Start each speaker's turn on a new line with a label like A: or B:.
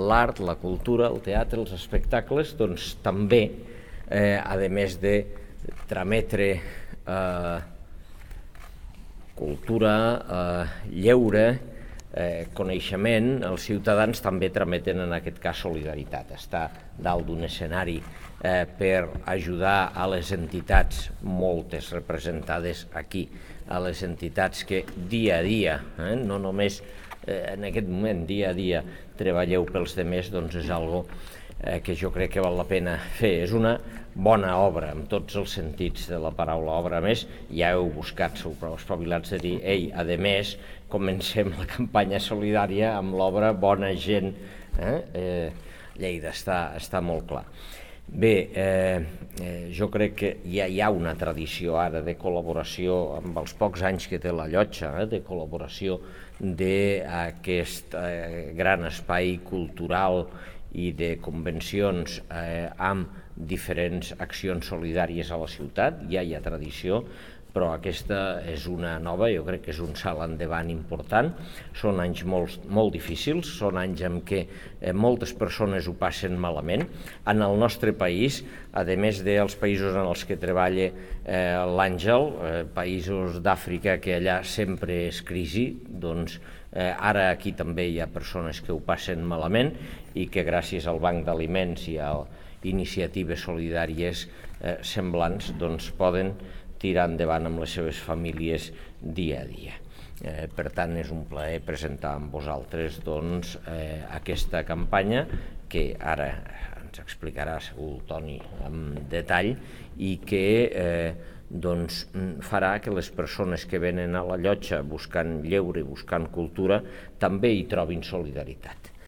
A: l'art, la cultura, el teatre, els espectacles, doncs també, a més de trametre cultura, lleure, coneixement, els ciutadans també trameten en aquest cas solidaritat. Està dalt d'un escenari per ajudar a les entitats, moltes representades aquí, a les entitats que dia a dia, no només en aquest moment, dia a dia, treballeu pels demés, doncs és algo que jo crec que val la pena fer. És una bona obra, en tots els sentits de la paraula obra. A més, ja heu buscat, sou prou espavilats de dir, ei, a més, comencem la campanya solidària amb l'obra Bona Gent. Lleida està molt clar. Bé, jo crec que ja hi ha una tradició ara de col·laboració, amb els pocs anys que té la Llotja, de col·laboració d'aquest gran espai cultural i de convencions amb diferents accions solidàries a la ciutat. Ja hi ha tradició, però aquesta és una nova, jo crec que és un salt endavant important. Són anys molt difícils, són anys en què moltes persones ho passen malament. En el nostre país, a més dels països en els que treballa l'Àngel, països d'Àfrica que allà sempre és crisi, doncs ara aquí també hi ha persones que ho passen malament i que gràcies al Banc d'Aliments i a iniciatives solidàries semblants doncs poden tirar endavant amb les seves famílies dia a dia. Per tant, és un plaer presentar amb vosaltres aquesta campanya que ara ens explicarà segur el Toni amb detall i que farà que les persones que venen a la Llotja buscant lleure i buscant cultura també hi trobin solidaritat.